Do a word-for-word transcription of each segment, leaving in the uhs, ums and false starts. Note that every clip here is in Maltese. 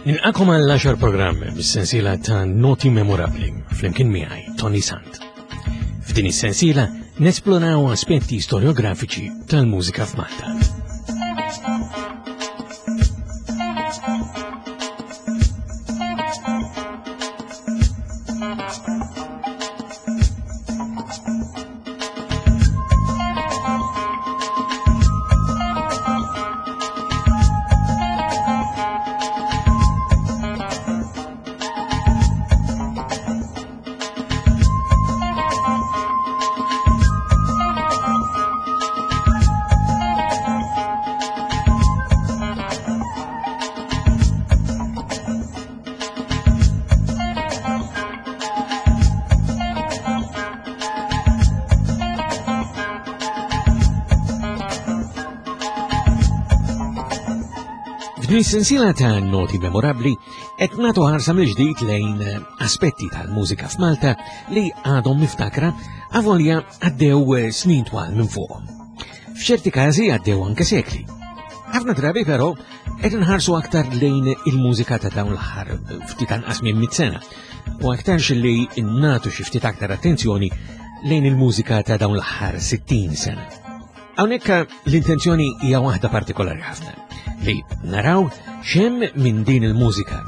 Nilqagħkom għall-għaxar programm bis-sensiela ta' Noti Memorabbli flimkien miegħi Toni Sant. F'din is-sensiela nesploraw aspetti storiografiċi tal-mużika f'Malta. F'din is-sensiela ta' Noti Memorabbli qed nagħtu ħarsa mill-ġdid lejn aspetti tal-mużika f'Malta li għadhom miftakra avolja għaddew snin twal minn fuqhom. F'ċerti każi għaddew anke sekli. Ħafna drabi però qed inħarsu aktar lejn il-mużika ta' dawn l-aħħar ftit anqas minn mitt sena u aktarx li nagħtu xi ftit aktar attenzjoni lejn il-mużika ta' dawn l-aħħar sittin sena. Hawnhekk l-intenzjoni hija waħda partikolari ħafna, li naraw x'hemm minn din il-mużika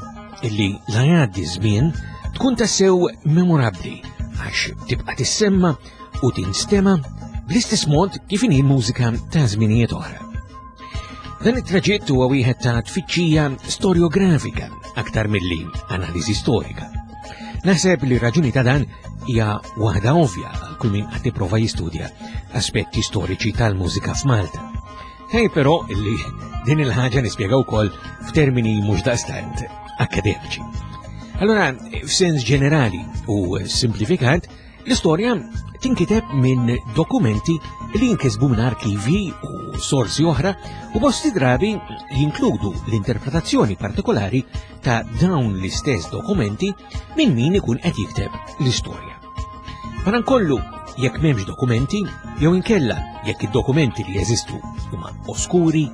illi la jgħaddi żmien tkun tassew memorabbli għax tibqa' tissemma u tinstema bl-istess mod kif inhi l-mużika ta' żminijiet oħra. Dan it-traġitt huwa wieħed ta' tfittxija storiografika aktar milli analiżi storika. Naħseb li raġuni ta' dan hija waħda ovvja għal kull min qed jipprova jistudja aspetti storiċi tal-mużika f'Malta. Hej però illi din il-ħaġa nispjega wkoll f'termini mhux daqstant akademiċi. Allora, f'sens ġenerali u simplifikat, l-istorja tinkiteb minn dokumenti li jinkisbu minn arkivi u sorsi oħra u bosti drabi jinkludu l-interpretazzjoni partikolari ta' dawn l-istess dokumenti minn min ikun qed jikteb l-istorja. Madankollu, jekk m'hemmx dokumenti, jew inkella jekk id-dokumenti li jeżistu huma oskuri,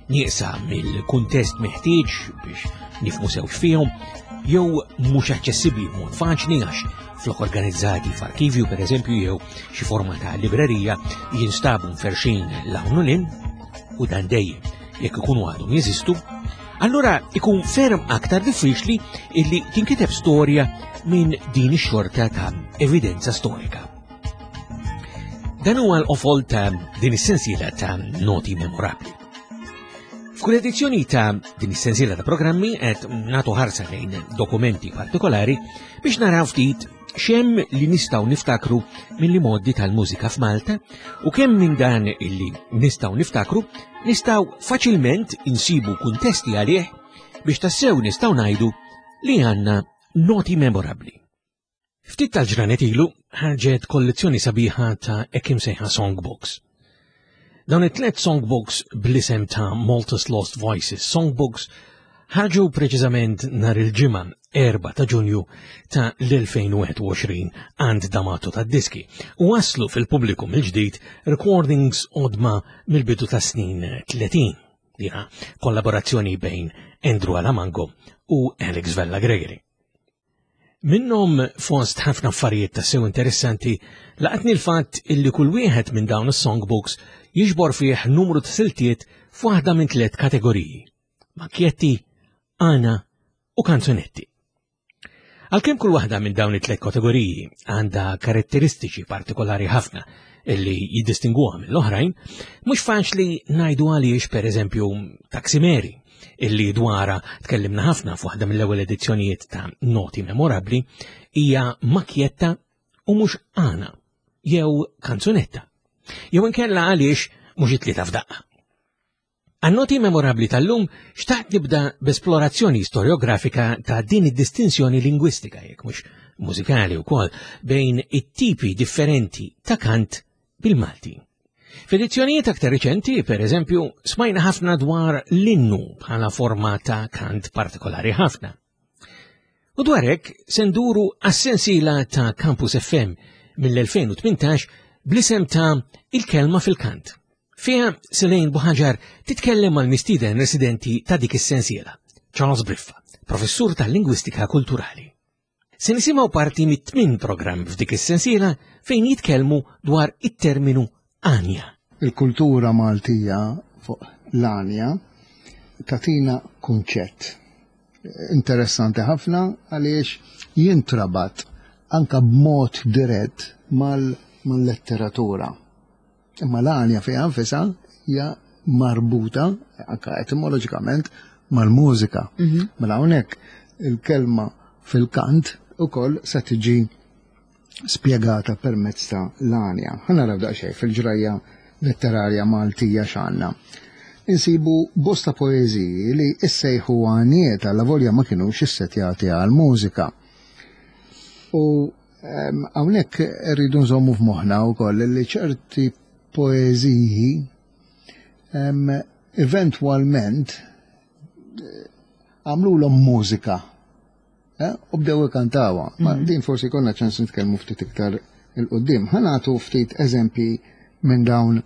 nieqsa mill-kuntest meħtieġ biex nifhmu sew x'fihom, jew mhux aċċessibbli b'mod faċli għax flok organizzati f'arkivju pereżempju jew xi forma ta' librerija jinstabu mferxin l-hawn u lin, u dan dejjem jekk ikunu għadhom jeżistu, allura ikun ferm aktar diffiċli illi tinkiteb storja minn din ix-xorta ta' evidenza storika. Dan huwa l-qofol ta' din is-sensiela ta' Noti Memorabbli. F'kull edizzjoni ta' din is-sensiela ta' programmi qed nagħtu ħarsa lejn dokumenti partikolari biex naraw ftit x'hemm li nistgħu niftakru mill-modi tal-mużika f'Malta u kemm minn dan illi nistgħu niftakru nistgħu faċilment insibu kuntesti għalih biex tassew nistgħu ngħidu li għandna noti memorabbli. Ftit tal-ġranet ilu ħarġet kollezzjoni sabiħa ta' hekk imsejħa songbooks. Dawn it-tliet songbooks bl-isem ta' Malta's Lost Voices Songbooks ħarġu preċiżament nhar il-ġimgħa erba' ta' Ġunju ta' l-elfejn u wieħed u għoxrin għand D'Amato tad-diski u waslu fil-pubbliku mill-ġdid recordings qodma mill-bidu ta' snin tletin. Dina kollaborazzjoni bejn Andrew Alamango u Alex Vella Gregory. Minnhom fost ħafna affarijiet ta' sew interessanti laqatni l-fatt illi kull wieħed minn dawn is-songbooks jiġbor fih numru ta' siltiet f'waħda minn tliet kategoriji: makjetti, għana u kanzunetti. Għalkemm kull waħda minn dawn it-tliet kategoriji għandha karatteristiċi partikolari ħafna illi jiddistingwuha mill-oħrajn, mhux faċli ngħidu għaliex pereżempju Taxi Mary, illi dwara tkellimna ħafna f'waħda mill-ewwel edizzjonijiet ta' Noti Memorabbli, hija makjetta u mhux għana jew kanzunetta. Jew inkella għaliex mhux it-tlieta f'daqqa. Għan-noti memorabbli tal-lum xtaqt nibda b'esplorazzjoni storiografika ta' din id-distinzjoni lingwistika, jekk mhux mużikali wkoll, bejn it-tipi differenti ta' kant bil-Malti. F'edizzjonijiet aktar riċenti, per eżempju, smajna ħafna dwar l-innu bħala forma ta' kant partikolari ħafna. U dwar hekk se nduru għas-sensiela ta' Campus F M mill-elfejn u tmintax bl-isem ta' Il-Kelma fil-Kant. Fiha Selene Buhagiar titkellem mal-mistieden residenti ta' dik is-sensiela, Charles Briffa, professur tal-lingwistika kulturali. Se nisimgħu parti mit-tmien programm f'dik is-sensiela fejn jitkellmu dwar it-terminu għanja. Il-kultura Maltija fuq l-għanja tagħtina kunċett interessanti ħafna għaliex jintrabat anka b'mod dirett mal-letteratura. Imma l-għanja fiha nfisha hija marbuta anka etimoloġikament mal-mużika. Mhm. Mela hawnhekk il-kelma fil-kant ukoll se tiġi spjegata permezz ta' l-għanja. Ħa naraw daqsxejn fil-ġrajja letterarja Maltija x'għandna. Insibu bosta poeżiji li issejħu għaniet għal volja ma kinux issetjati għal-mużika. U hawnhekk rridu nżommu f'moħħna wkoll li ċerti poeżiji eventwalment għamlulhom mużika eh, u bdew ikantawha. Ma mhm. din forsi konna ċans nitkellmu ftit iktar 'il quddiem. Ħa nagħtu ftit eżempji minn dawn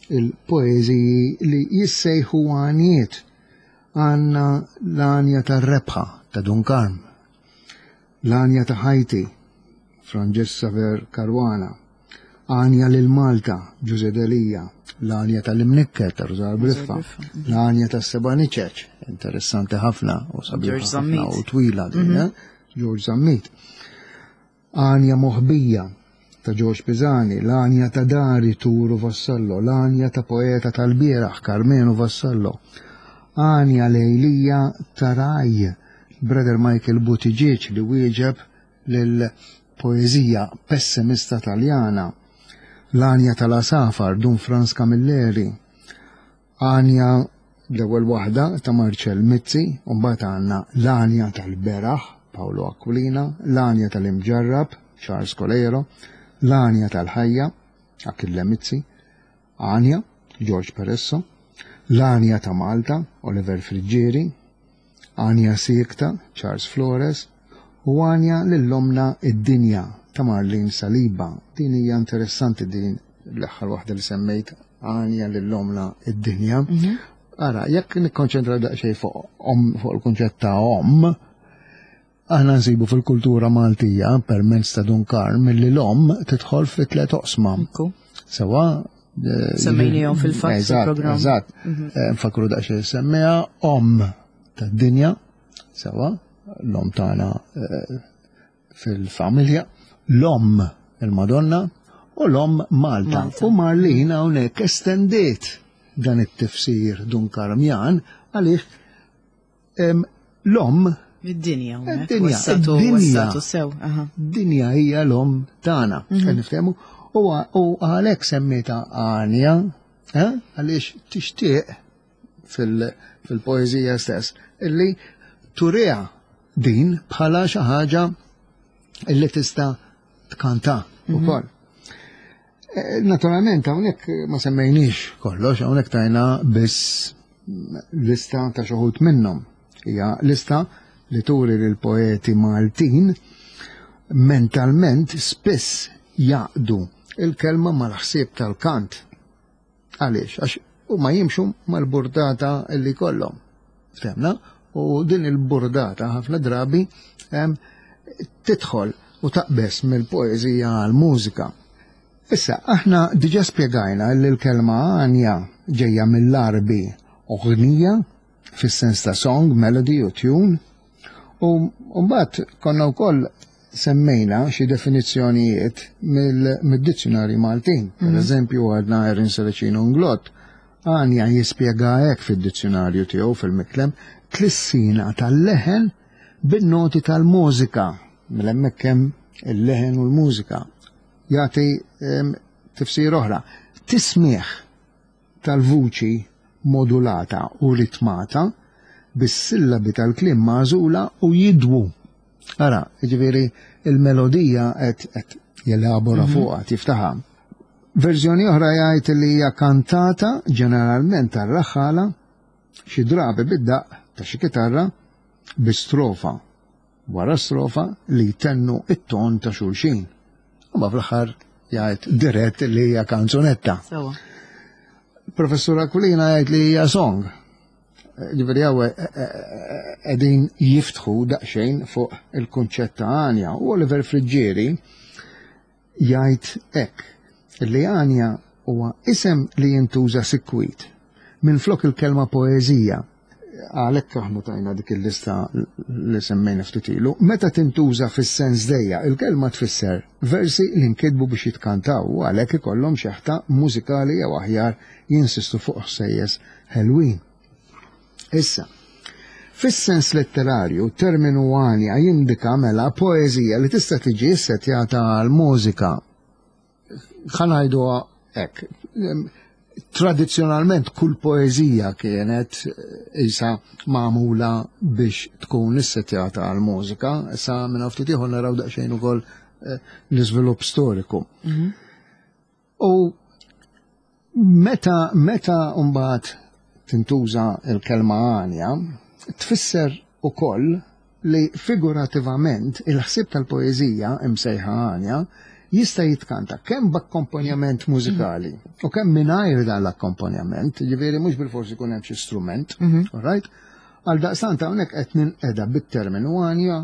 il-poeżiji li jissejħu għaniet. Għandna l-għanja tar-rebħa ta' Dun Karm, l-għanja ta' Ħajti, Franġisk Saver Caruana, għanja lil Malta, Ġużè Delia, l-għanja tal-Imnikket ta' Rużar Briffa, l-għanja tas-Seba' Niċeċ, interessanti ħafna u sabiħa ħafna u twila din, mhm. eh? George Zammit. Għanja moħbija ta' George Pisani, l-għanja ta' Dari Turu Vassallo, l-għanja ta' poeta tal-bieraħ Karmenu Vassallo, għanja lejlija ta' Raj, Brother Michael Buttigieg li wieġeb lil poeżija pessimista taljana, l-għanja tal-Asafar Dun Franz Camilleri, għanja l-ewwel waħda ta' Marcel Mizzi, u mbagħad għandna l-għanja tal-Beraħ Paolo Aquilina, l-għanja tal-Imġarrab Charles Coleiro, l-għanja tal-Ħajja Achille Mizzi, għanja George Peresso, l-għanja ta' Malta Oliver Friggieri, għanja Siekta Charles Flores u għanja lil-Omna id-Dinja ta' Marlene Saliba. Din hija interessanti din l-aħħar waħda li semmejt, għanja lil-Omna id-Dinja. Mhm. Ara, jekk nikkonċentra daqsxejn fuq fuq il-kunċett ta' om, aħna nsibu fil-kultura Maltija permezz ta' Dun Karm milli l-om tidħol fi tliet oqsma. Sewa eh, semmejnihom fil-fatt fil-programm. Eżatt, mhm. eh, nfakru daqsxejn semmejha om tad-dinja, sewa, l-om tagħna eh, fil-familja, l-om il-Madonna u l-om Malta. U Marlina hawnhekk estendiet dan it-tifsir Dun Karmjan għaliex l-om Id-dinja. Id-dinja. Id-dinja. Dinja hija l-om tagħna. Mhm. Niftehmu. U għalhekk semmieta għanja, eh, għaliex tixtieq fil-poeżija stess illi turiha din bħala xi ħaġa illi tista' tkanta mhm. ukoll. Eh, naturalment hawnhekk ma semmejniex kollox, hawnhekk tajna biss lista ta' xi wħud minnhom. Hija lista li turi lil poeti Maltin mentalment spiss jaqdu il-kelma mal-ħsieb tal-kant. Għaliex? Għax huma jimxu mal-burdata li kollhom. Ftemna? U din il-burdata ħafna drabi tidħol u taqbes mill-poeżija għal-mużika. Issa, aħna diġa spjegajna li l-kelma għanja ġejja mill-Arbi oħnija, fis-sens ta' song, melody u tune, u mbagħad konna wkoll semmejna xi definizzjonijiet mid-dizzjonari Maltin. Per mhm. eżempju, għadna Erin Serracino Inglott, għanja jispjega hekk fid-dizzjonarju tiegħu fil-Miklem, tlissina tal-leħen bin-noti tal-mużika. Mela hemmhekk hemm il-leħen u l-mużika. Jagħti tifsir oħra. Tismieħ tal-vuċi modulata u ritmata bis-sillabi tal-kliem magħżula u jidwu. Ara, jiġifieri il-melodija qed jelabora mhm. fuqha, tiftaħha. Verżjoni oħra jgħid li hija kantata ġeneralment tar-raħħala xi drabi bid-daq ta' xi kitarra bi strofa wara strofa li jtennu it-ton ta' xulxin. Ma fl-aħħar jgħid dirett li hija kanzunetta. Professur Aquilina jgħid li hija song. Ġifieri hawn qegħdin jiftħu daqsxejn fuq il-kunċett ta' għanja. U Oliver Friggieri jgħid hekk li għanja huwa isem li jintuża sikwit minflok il-kelma poeżija. Għalhekk aħna tajna dik il-lista li semmejna ftit ilu. Meta tintuża fis-sens dejja, il-kelma tfisser versi li nkitbu biex jitkantaw u għalhekk ikollhom xeħta mużikali jew aħjar jinsistu fuq ħsejjes ħelwin. Issa, fis-sens letterarju, terminu għanja jindika mela poeżija li tista' tiġi ssetjata għal mużika. Ħa ngħiduha hekk. Tradizzjonalment kull poeżija kienet isa magħmula biex tkun issetjata għal mużika, issa minn ftit ieħor naraw daqsxejn ukoll l-iżvilupp storiku. U meta meta mbagħad tintuża l-kelma għanja, tfisser ukoll li figurativament il-ħsieb tal-poeżija imsejħa għanja jista' jitkanta kemm b'akkompanjament mużikali u kemm mingħajr dan l-akkompanjament, ġifieri mhux bilfors ikun hemm xi strument, all right? Għal daqstant hawnhekk qed ninqeda bit-terminu għanja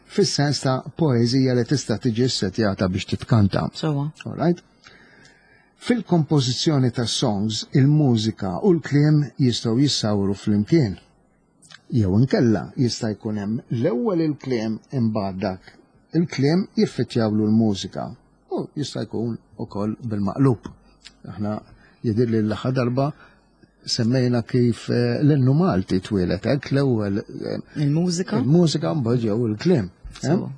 fis-sens ta' poeżija li tista' tiġi ssetjata biex titkanta. Sewwa. All right? Fil-kompożizzjoni ta' songs, il-mużika u l-kliem jistgħu jissawru flimkien. Jew inkella jista' jkun hemm l-ewwel il-kliem imbagħad dak il-kliem jiffittjawlu l-mużika. U jista' jkun ukoll bil-maqlub. Aħna jidhir li l-aħħar darba semmejna kif l-innu Malti twieled hekk l-ewwel Il-mużika? Il-mużika mbagħad ġew il-kliem. Sewwa.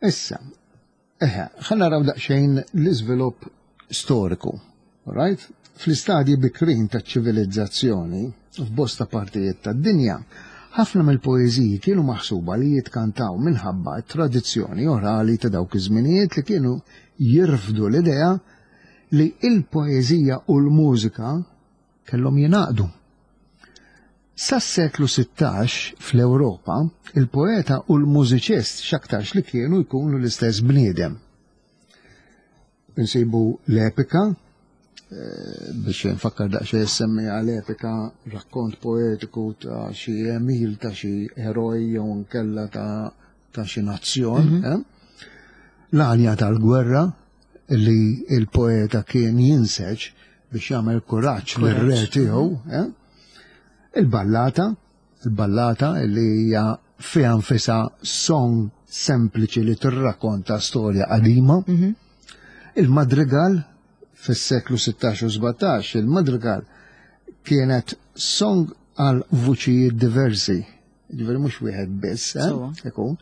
Issa, eħe, ħa naraw daqsxejn l-iżvilupp storiku. Right? Fl-istadji bikrin taċ-ċivilizzazzjoni, f'bosta partijiet tad-dinja, ħafna mill-poeżiji kienu maħsuba li jitkantaw minħabba tradizzjoni orali ta' dawk iż-żminijiet li kienu jirfdu l-idea li il-poeżija u l-mużika kellhom jingħaqdu. Sas-seklu sittax fl-Ewropa, il-poeta u l-mużiċist x'aktarx li kienu jkunu l-istess bniedem. Insibu l-epika, biex nfakkar daqsxejn semmija l-epika, rakkont poetiku ta' xi emil ta' xi eroj jew nkella ta' ta' xi nazzjon. L-għanja tal-gwerra li il-poeta kien jinseġ biex jagħmel kuraġġ lir-re tiegħu. Il-ballata, il-ballata li hija fiha nfisha song sempliċi li tirrakkonta storja qadima. Il-madrigal fis-seklu sittax u sbatax, il-madrigal kienet song għal vuċijiet diversi, ġifieri mhux wieħed biss, ikun,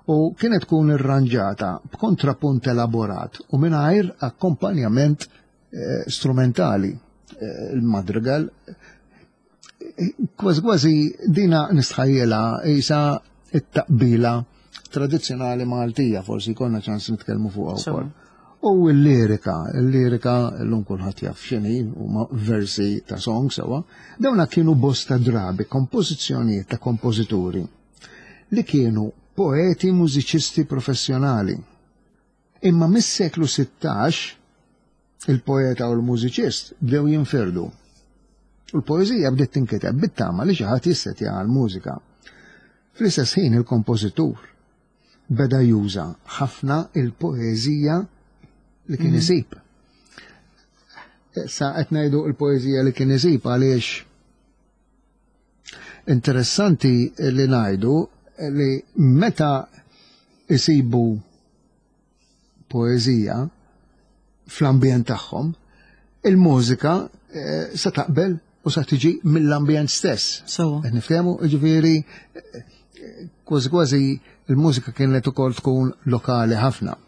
u kienet tkun irranġata b'kontrapunt elaborat u mingħajr akkompanjament strumentali. Il-madrigal kważi kważi dina nistħajjela isa it-taqbila tradizzjonali Maltija, forsi jkollna ċans nitkellmu fuqha wkoll. U l-lirika, l-lirika l-lum kulħadd jaf x'inhi, huma versi ta' song sewa, dawna kienu bosta drabi, kompożizzjonijiet ta' kompożituri li kienu poeti mużiċisti professjonali. Imma mis-seklu sittax il-poeta u l-mużiċist bdew jinfirdu. U l-poeżija bdiet tinkiteb bit-tama li xi ħadd jissetja għall-mużika. Fl-istess ħin il-kompożitur beda juża ħafna il-poeżija li kien isib. Sa qed ngħidu l-poeżija li kien isib għaliex interessanti li ngħidu li meta isibu poeżija fl-ambjent tagħhom, il-mużika se taqbel u sa tiġi mill-ambjent stess. Sewwa. Qed niftehmu, jiġifieri kważi kważi il-mużika kienet ukoll tkun lokali ħafna.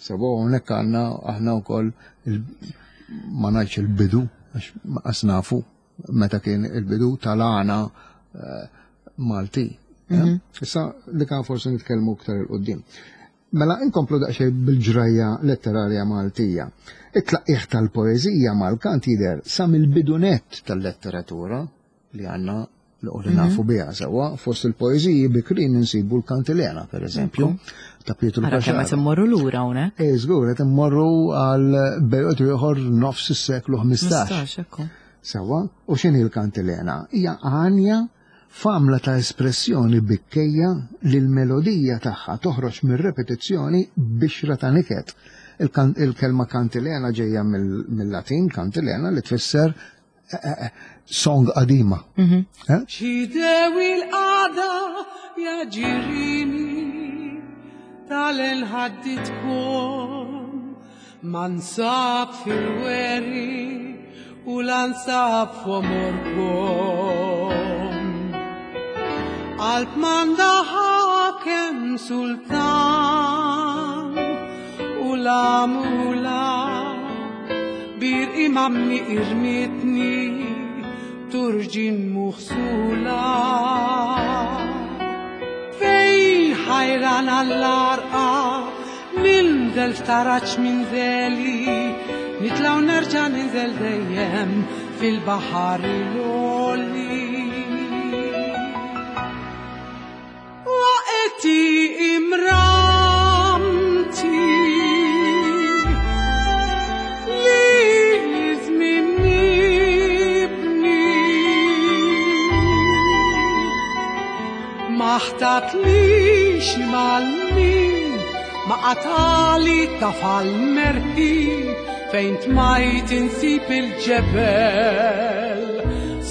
Sewwa hawnhekk għandna aħna wkoll ma ngħidx il-bidu, għax ma qas nafu meta kien il-bidu tal-għana Malti. Issa li kan forsi nitkellmu iktar il-qudiem. Mela inkomplu daqsxejn bil-ġrajja letterarja Maltija. It-tlaqqih tal-poeżija mal-kant jidher sa mill-bidunet tal-letteratura li għandna li nafu biha sewwa, fost il-poeżiji bikrin insibu l-Kantilena, per eżempju, ta' Pietru Ara kemm qed Caxaro. immorru lura hawnhekk. Eh, żgur, qed immorru għal perjodu ieħor nofs is-seklu ħmistax. Ħmistax, ekku. Sewwa, u x'inhi l-Kantilena? Hija għanja F'għamla ta' espressjoni bikkejja li l-melodija tagħha toħroġ mir-repetizzjoni bixra ta' niket. Il-kelma kantilena ġejja mill-Latin kantilena li tfisser song qadima. Xidewi l-qada ja ġirini tal-inħadditkom ma nsab fil-weri u l-ansab f'omorkom. Qalb m'għandha ħakem sultan u la mula bir imamni irmitni turġin muħsula. Fejn ħajran għall-arqa ninżel f'taraġ minn zeli nitlaw nerġa' ninżel dejjem fil-baħar il-għoli. Waqti imramti li żmien nibni ma ħtatlix mal-min ma qatali tafal merħi fejn tmajt insib il-ġebel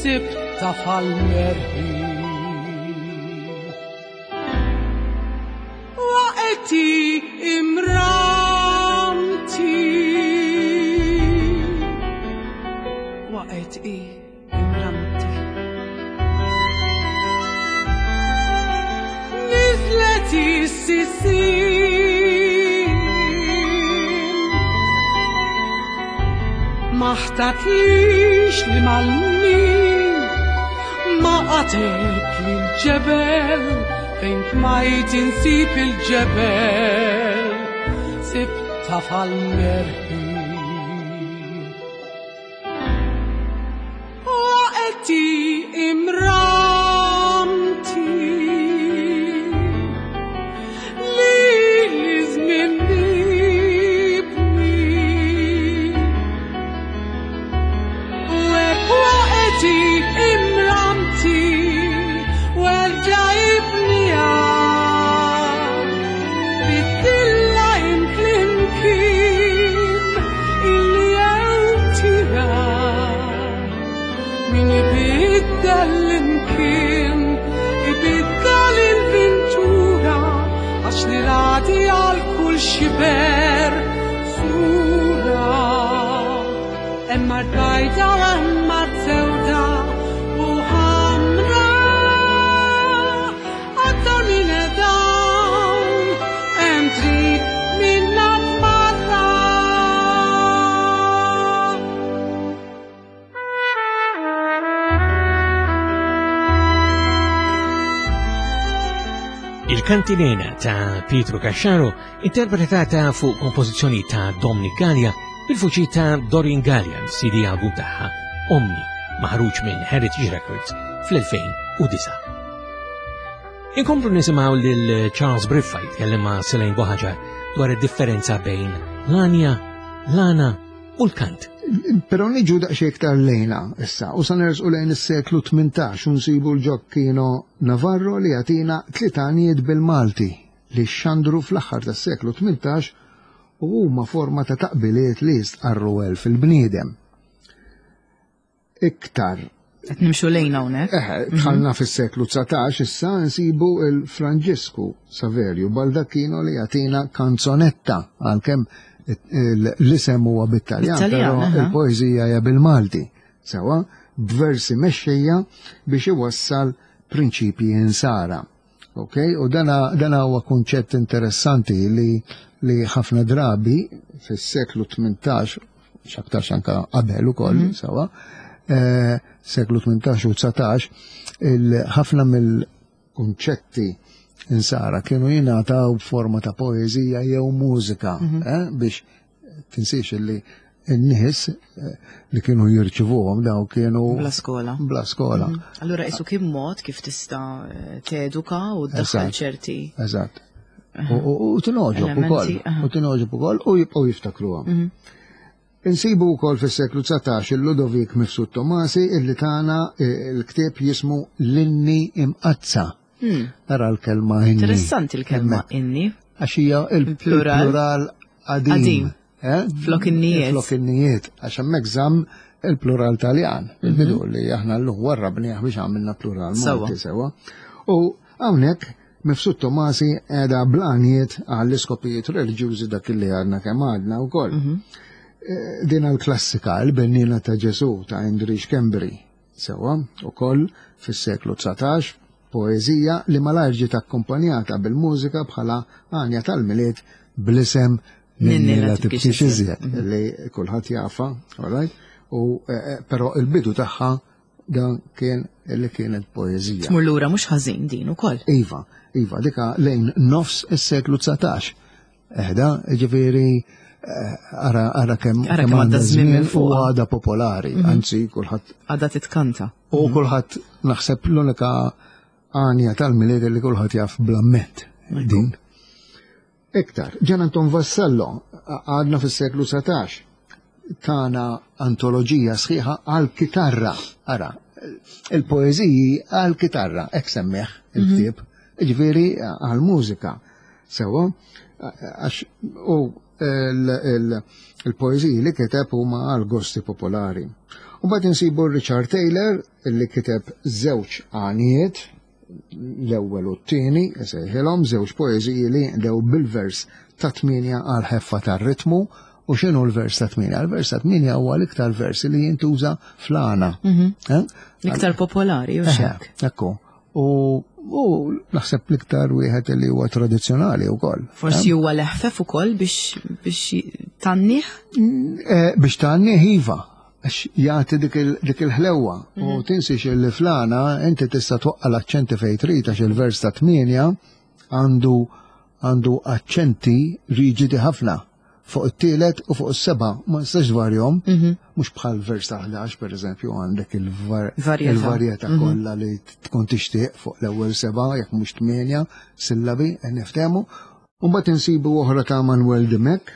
sibt tafal merħi. Waqti imramti waqti imramti nizlet is-sisin ma ħtatlix li mal-min ma qatelt li l-ġebel fejn tmajt insib il-ġebel sibt tafal merħi. Waqti imramti li żmien nibni u hekk waqti imramti werġa' ibniha bid-dilla imkien illi ewtiha min ibiddel l-imkien ibiddel il-ventura għax li radi għal kull xiber sura. Hemm art bajda u hemm art sewda u ħamra aktar minn dawn hemm triq minna tmarra. Il-Kantilena ta' Pietro Casciaro interpretata fuq kompożizzjoni ta' Dominic Gallia bil-vuċi ta' Doreen Gallia C D album tagħha Omni maħruġ minn Heritage Records fl-elfejn u disa'. Inkomplu nisimgħu lil Charles Briffa jitkellem ma' Selene Buhagiar dwar id-differenza bejn l-anja, l-għana u l-kant. Però niġu daqsxejn iktar lejna issa, u sa nersqu lejn is-seklu tmintax u nsibu l-Gioacchino Navarro li jagħtina tliet għanijiet bil-Malti li xandru fl-aħħar tas-seklu tmintax u huma forma ta' taqbiliet li jistqarru elf il-bniedem. Iktar. Qed nimxu lejna hawnhekk. Eħe, dħalna fis-seklu dsatax issa nsibu il-Franġisku Saverio Baldacchino li jagħtina kanzonetta għalkemm l-isem huwa bit-Taljan, Bit-Taljan, però aha. il-poeżija hija bil-Malti, sewa b'versi mexxejja biex iwassal prinċipji insara. Ok, u dana, dana huwa kunċett interessanti li, li ħafna drabi fis-seklu tmintax, x'aktarx anka qabel ukoll, Mhm. sewa, eh, seklu tmintax u dsatax, ħafna mill-kunċetti insara kienu jingħataw b'forma ta' poeżija jew mużika, Mhm. eh, biex tinsiex li n-nies, eh, li kienu jirċivuhom daw kienu Bla skola. Bla skola. Mhm. Allura isu kien mod kif tista' teduka u ddaħħal Eżatt. ċerti. Eżatt. U, u, u tinogħġob Elementi, ukoll. aha. U tinogħġob ukoll u jibqgħu jiftakruhom. Mhm. Insibu wkoll fis-seklu dsatax il-Ludovik Mifsud Tomasi illi tana eh, il-ktieb jismu L-Inni Imqazza. Hmm. Ara l-kelma inni. Interessanti l-kelma inni. Għax hija il-plural qadim. Qadim. Eh? Flok innijiet. Flok innijiet. Għax hemmhekk żamm il-plural Taljan. Il-bidu li aħna llum warrabnieh biex għamilna plural Malti sewa. U hawnhekk Mifsud Tomasi qiegħda bl-għanijiet għall-iskopijiet reliġjużi dak li għadna kemm għadna wkoll. Mhm. Din l-klassika, il-Bennina ta' Ġesu ta' Indri Schembri, sewa, ukoll fis-seklu dsatax, poeżija li malajr ġiet akkumpanjata bil-mużika bħala għanja tal-Milied bl-isem Ninni la tibkix iżjed, li kulħadd jafa, all right? U però il-bidu tagħha dan kien li kienet poeżija. Tmur lura mhux ħażin din ukoll. Iva, iva, dika lejn nofs is-seklu dsatax. Eħda, ġifieri ara ara kemm Ara kemm għadda żmien minn u fuqha. għada popolari, anzi kulħadd Għadha titkanta. u kulħadd naħseb l-unika għanja tal-Milied li kulħadd jaf bl-amment din. Iktar, Ġan Anton Vassallo għadna fis-seklu dsatax tana antoloġija sħiħa għal-kitarra. Ara, il-poeżiji għal-kitarra, hekk semmih il-ktieb, ġifieri għal-mużika. Sewa, għax u il-poeżiji li kiteb huma għal-gosti popolari. U mbagħad insibu Richard Taylor li kiteb żewġ għanijiet, l-ewwel u t-tieni, isejħilhom żewġ poeżiji li jinqdew bil-vers ta' tmienja għal ħeffa tar-ritmu. U x'inhu l-vers ta' tmienja? Il-vers ta' tmienja huwa l-iktar vers li jintuża fl-għana. Eh? L-iktar popolari, u xek. Ekku. U u naħseb l-iktar wieħed li huwa tradizzjonali wkoll. Forsi huwa leħfef ukoll biex biex tannih? Eh, Biex tannih iva, għax jagħti dik il- dik il-ħlewwa. U tinsiex li flana inti tista' twaqqa' l-aċċenti fejn trid għax il-vers ta' tmienja għandu għandu aċċenti riġidi ħafna fuq it-tielet u fuq is-seba' ma nistax dwarjhom, mhux bħal vers ta' ħdax pereżempju għandek il-var- Varjetà. il-varjetà kollha li tkun tixtieq fuq l-ewwel seba' jekk mhux tmienja sillabi qed niftehmu. U mbagħad insibu oħra ta' Manuel Dimech,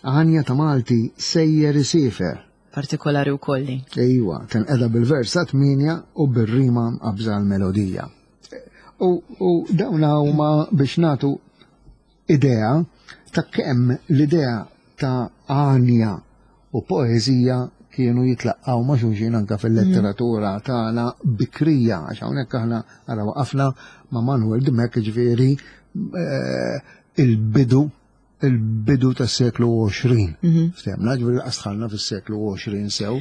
għanja ta' Malti sejjer isiefer. Partikolari wkoll li. Ejwa, tinqeda bil-vers ta' tmienja u bir-rima mqabża l-melodija. U, u dawn huma biex nagħtu idea ta' kemm l-idea ta' għanja u poeżija kienu jitlaqqaw ma' xulxin anka fil-letteratura tagħna bikrija, għax hawnhekk aħna ara waqafna ma' Manuel Dimech, ġifieri eh, il-bidu il-bidu tas-seklu għoxrin. Ftemna, ġifieri laqas dħalna fis-seklu għoxrin sew.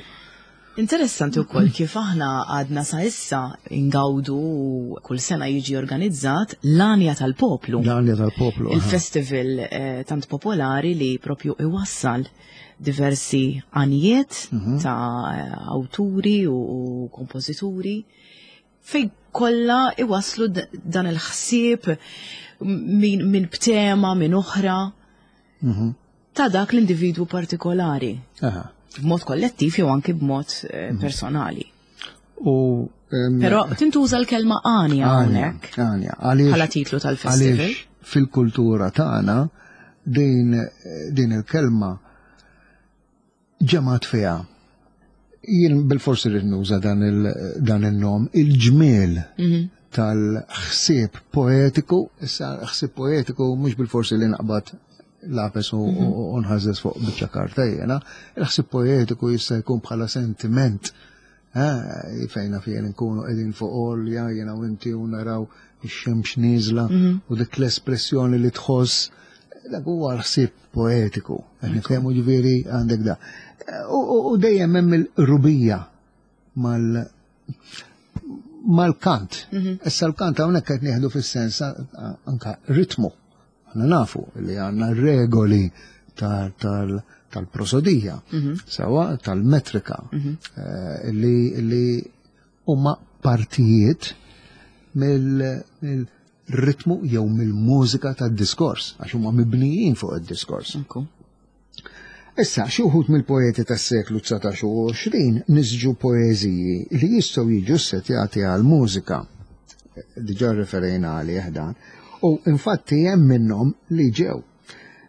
Interessanti wkoll kif aħna għadna sa issa ingawdu u kull sena jiġi organizzat l-Għanja tal-Poplu. L-Għanja tal-Poplu. aha. Il-festival eh, tant popolari li propju iwassal diversi għanijiet Mhm. ta' awturi u, u kompożituri fej kollha iwasslu d- dan il-ħsieb min, min b'tema, min oħra Mhm. ta' dak l-individwu partikolari. Aha. B'mod kollettiv jew anki b'mod eh, personali. U em, Però tintuża l-kelma għanja għanja, hawnhekk għanja, għaliex bħala titlu tal-festival. Għaliex fil-kultura tagħna din din il-kelma ġemat fiha. Jien bil-forsi rrid nuża dan il dan il-nom, il-ġmiel Mhm. tal-ħsieb poetiku, issa ħsieb poetiku mhux bil-forsi li naqbad lapes u u nħażżeż fuq biċċa karta jiena, il-ħsieb poetiku jista' jkun bħala sentiment. Eh, fejna fejn nkunu qegħdin fuq għolja jiena u inti u naraw ix-xemx nieżla u dik l-espressjoni li tħoss, dak huwa l-ħsieb poetiku. Qed niftehmu ġifieri għandek da. U, u, u dejjem hemm il-rubija mal mal-kant. Issa l-kant hawnhekk qed nieħdu fis-sens anka ritmu. Aħna nafu li għandna regoli tal- tal- tal-prosodija, sewa tal-metrika, eh, li li huma partijiet mill-ritmu jew mill-mużika tad-diskors, għax huma mibnijin fuq id-diskors. Ekku. Issa, xi wħud mill-poeti tas-seklu dsatax u għoxrin nisġu poeżiji li jistgħu jiġu ssetjati għal mużika. Diġà referejna għalih dan. U infatti hemm minnhom li ġew.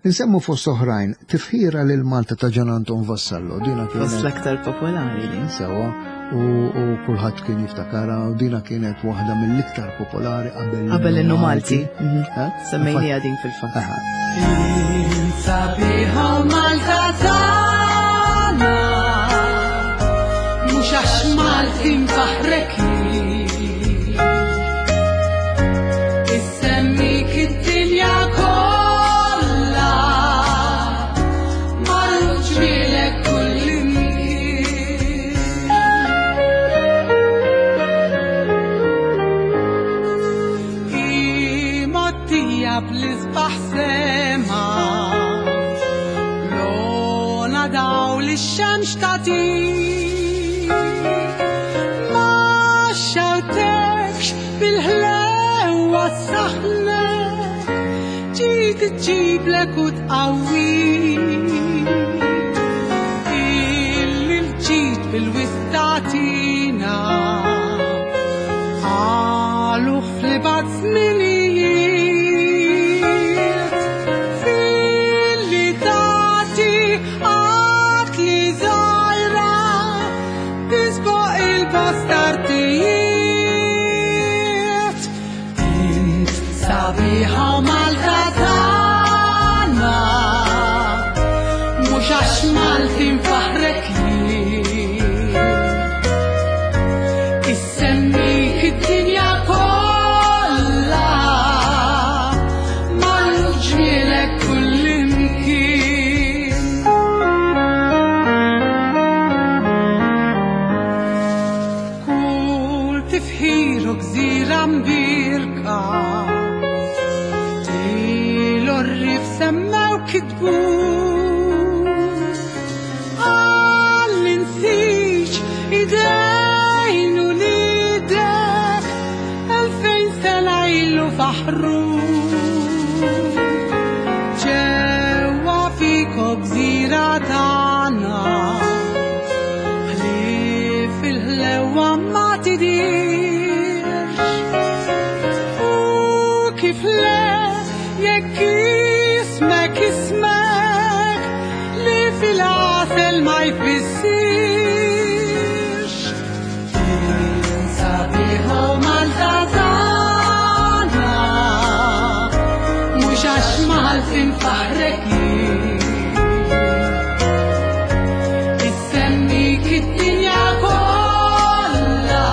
Insemmu fost oħrajn tifħira lil Malta ta' Gian Anton Vassallo, dina Fost kienet l-aktar popolari din. sewa u, u kulħadd kien jiftakara u dina kienet waħda mill-iktar popolari qabel Qabel l-innu Malti. Mhm. Eh? Semmejnija din fil-fatt. Aha. Sabiħa Malta tagħna, mhux għax Malti nfaħrek Issemmik id-dinja kollha, marru ġmielek kullimkien. Imottija bl-isbaħ sema Lona daw li x-xemx tagħtik Ma xawtekx bil-ħlewa s-saħna Ġiet iġġiblek u tqawwik Illi l-ġid bil-wistatina Għaluħ fl-ibad żminijiet Fil-li tati għat li żgħira Tisboq il-bastartijiet Int sabiħa Malta tagħna Mhux għax Malti nfaħrek jien Issemmik id-dinja kollha marru ġmielek kullimkien. Kull tifħir u gżira mbirka Til-orrif semmew kitbu Għall-insiġ idejn u lidek Elfejn sena ilu faħru Ġewwa fiko gżira tagħna Ħlief il-ħlewa ma tidirx U kif le jekk ismek ismek li fil-għasel ma jfissirx Sabiħa Malta tagħna mhux għax Malti nfaħrek jien. Issemmik id-dinja kollha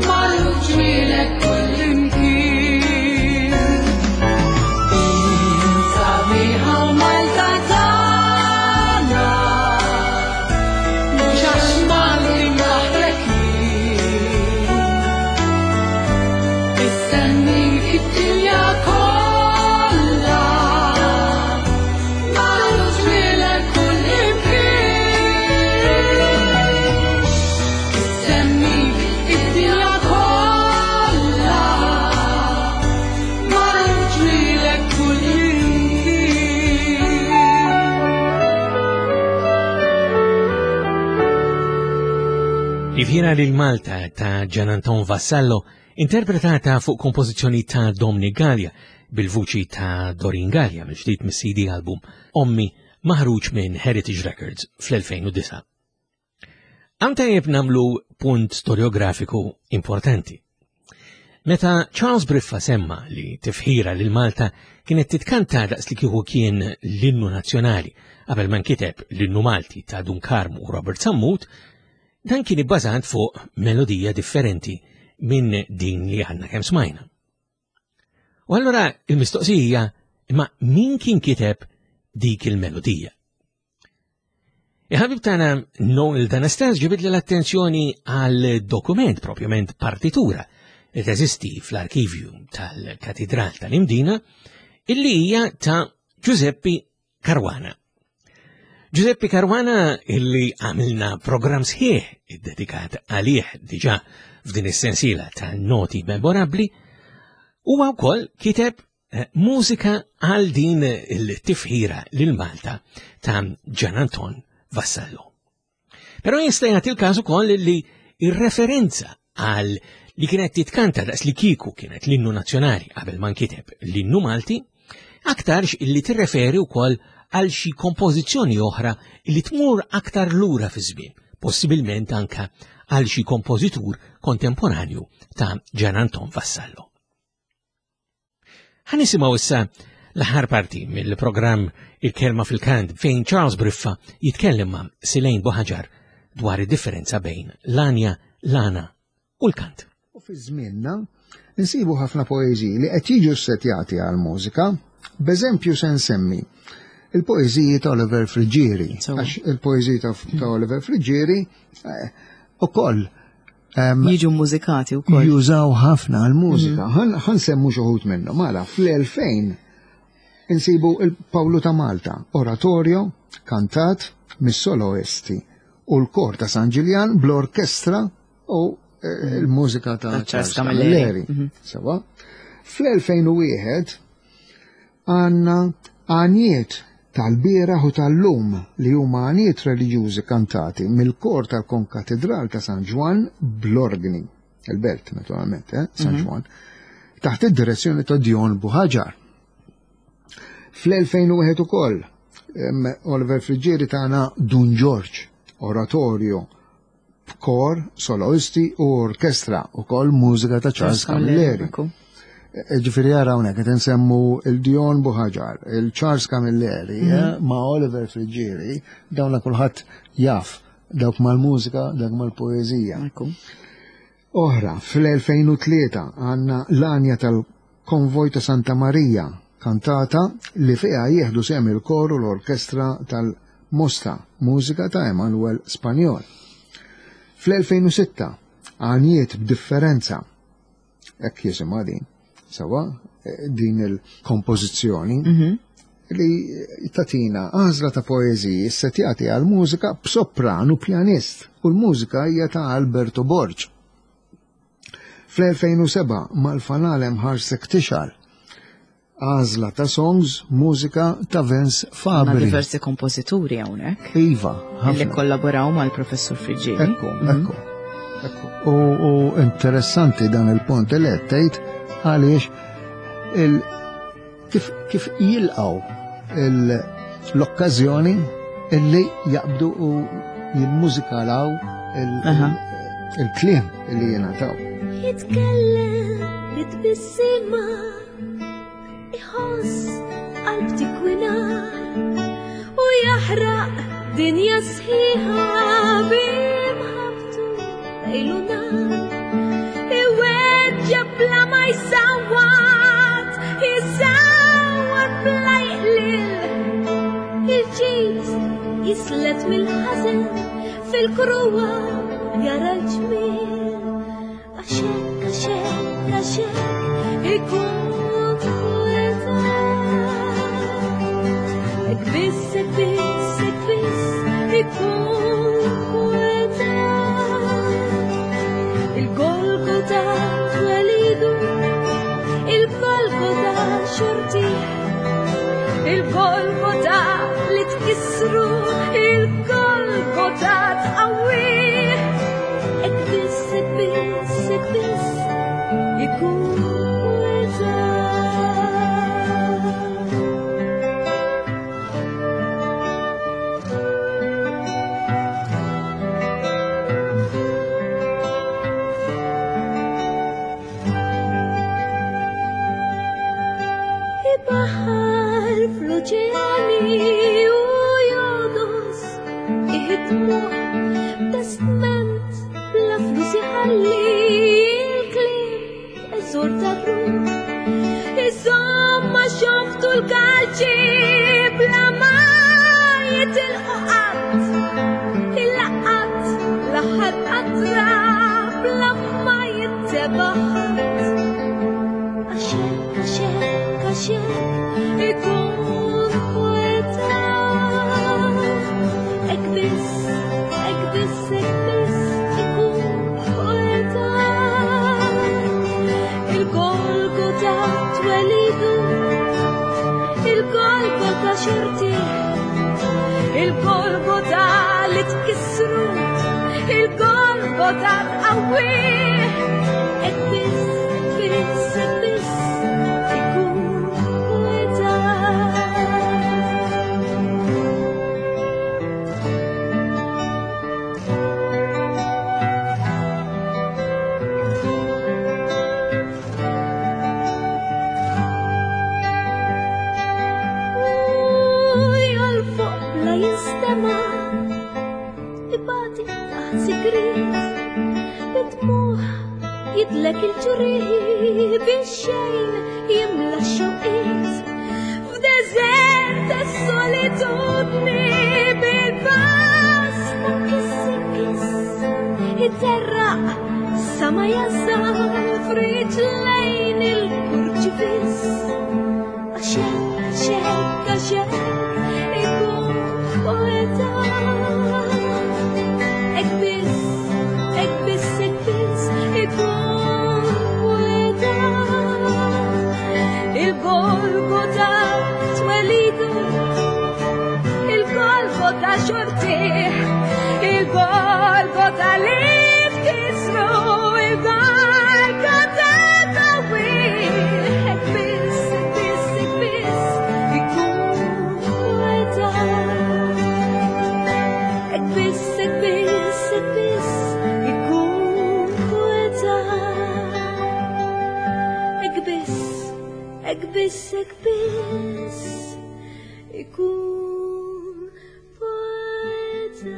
marru ġmielek kullimkien. Sabiħa Malta tagħna mhux għax Malti nfaħrek jien. Issemmik id-dinja kollha marru ġmielek kullimkien. Issemmik id-dinja kollha marru ġmielek kullimkien. Tifħira lil Malta ta' Gian Anton Vassallo, interpretata fuq kompożizzjoni ta' Dominic Gallia bil-vuċi ta' Doreen Gallia mill-ġdid mis-C D album Ommi maħruġ minn Heritage Records fl-elfejn u disgħa. Għam tajjeb namlu punt storiografiku importanti. Meta Charles Briffa semma li tifħira lil Malta kienet titkanta daqs li kieku kien l-innu nazzjonali qabel ma nkiteb l-innu Malti ta' Dun Karmu u Robert Sammut, dan kien ibbażat fuq melodija differenti minn din li għandna kemm smajna. U allura il-mistoqsija imma min kien kiteb dik il-melodija? Il-ħabib tagħna Noel D'Anastas ġibidli l-attenzjoni għal dokument, propjament partitura, li teżisti fl-arkivju tal-Katidral tal-Imdina, illi hija ta' Giuseppe Caruana. Giuseppe Caruana illi għamilna program sħiħ iddedikat għalih diġà f'din is-sensiela ta' noti memorabbli, huwa wkoll kiteb, eh, mużika għal din il-tifħira lil Malta ta' Gian Anton Vassallo. Però jista' jagħti l-każ ukoll li ir-referenza għal li kienet titkanta daqs li kieku kienet l-innu nazzjonali qabel ma nkiteb l-innu Malti, aktarx illi tirreferi wkoll għal xi kompożizzjoni oħra li tmur aktar lura fi żmien, possibilment anka għal xi kompożitur kontemporanju ta' Gian Anton Vassallo. Ħa nisimgħu issa l-aħħar parti mill-programm Il-Kelma fil-Kant fejn Charles Briffa jitkellem ma' Silejn Buħaġar dwar id-differenza bejn l-anja, l-għana u l-kant. U fi żmienna nsibu ħafna poeżiji li qed jiġu ssetjati għal mużika. B'eżempju se nsemmi il-poeżiji ta' Oliver Friggieri, għax il-poeżiji ta' Oliver Friggieri eh, ukoll jiġu mużikati wkoll. Jużaw ħafna għal-mużika. Mhm. Ħa nsemmu xi wħud minnhom. Mela, fl-elfejn insibu il-Pawlu ta' Malta, oratorio, kantat mis-soloisti u l-kor ta' San Ġiljan bl-orkestra u eh, il-mużika ta' Charles Camilleri. Mhm. Sewa. Fl-elfejn u wieħed għandna għaniet tal-bieraħ u tal-lum li huma għaniet reliġjużi kantati mill-kor tal-Konkatedral ta' San Ġwann bl-organi, il-belt naturalment, eh, San mhm. Ġwann, taħt id-direzzjoni ta' Dion Buħaġar. Fl-elfejn u wieħed ukoll, Oliver Friggieri tagħna Dun Ġorġ, oratorio b'kor, soloisti u orkestra, ukoll mużika ta' Charles Camilleri. E, ġifieri ara hawnhekk qed insemmu il-Dion Buħaġar, il-Charles Camilleri, mhm. eh, ma' Oliver Friggieri, dawna kulħadd jaf, dawk mal-mużika, dawk mal-poeżija. Oħra, fl-elfejn u tlieta għandna l-anja tal-Konvoj ta' Santa Marija, kantata li fiha jieħdu sehem il-kor u l-orkestra tal-Mosta, mużika ta' Emanuel Spanjol. Fl-elfejn u sitta, għanijiet b'differenza, hekk jisimha din, sewa, din il-kompożizzjoni, mhm. li tatina għażla ta' poeżiji ssetjati għal mużika b'sopran u pjanist, u l-mużika hija ta' Alberto Borg. Fl-elfejn u seba' mal-fanal hemm ħarsek tixgħal, għażla ta' songs, mużika ta' Vince Fabri. Ma' diversi kompożituri hawnhekk. Iva, ħafna. Li kollaboraw mal-professur Friggieri. Ekku, mhm. ekku. Ekku. U, u interessanti dan il-punt li qed tgħid għaliex il kif, kif jilqgħu l-okkażjoni illi jaqbdu u jimmużikalaw il-kliem illi jingħataw. Jitkellem bit-tbissima, iħoss qalb tikwinar u jaħraq dinja sħiħa bimħabtu lejlu nar. Iweġġa bla ma jsawwat, isawwat bla jqlil. Il-ġid jislet mill-ħażen fil-kruwa jara l-ġmiel. Għaxek, għaxek, għaxek, ikun poeta. Ek biss, ek biss, ek biss, ikun poeta. Il-Golgota twelidu, il-Golgota xorti, il-Golgota li tkissru, il-Golgota tqawwi. Ek biss, ek biss, ek biss, ikun poeta. Ibaħar fl-oċeani u jodos iħidmuh testament bla flus iħalli il-kliem eżor tar-ruħ. Insomma xoftu l-kalċi bla ma jitilqu qatt, il-laqat l-aħħar qatra bla ma jittebaħ ħadd. Għaxek, għaxek, għaxek, ikun poeta. Ek biss, ek biss, ek biss, ikun poeta. Il-Golgota twelidu, il-Golgota xorti, il-Golgota li tkissru, il-Golgota tqawwi. Ek biss, biss, ek biss, ikun poeta. Jidlek il-ġrieħi biex xejn jimla x-xewqiet. F'deżert tas-solitudni bil-pass ta' kiss kiss iterraq sa ma jasal f'riġlejn il-kurċifiss. Għax hekk, għax hekk, għax hekk ikun poeta. Hekk biss, hekk biss, hekk biss ikun poeta. Il-Golgota twelidu, il-Golgota xortih, il-Golgota li tkisru, il-Golgota tawih. Hekk biss, hekk biss, hekk biss ikun poeta. Hekk biss, hekk biss, hekk biss ikun poeta. Hekk biss, hekk biss, hekk biss ikun poeta.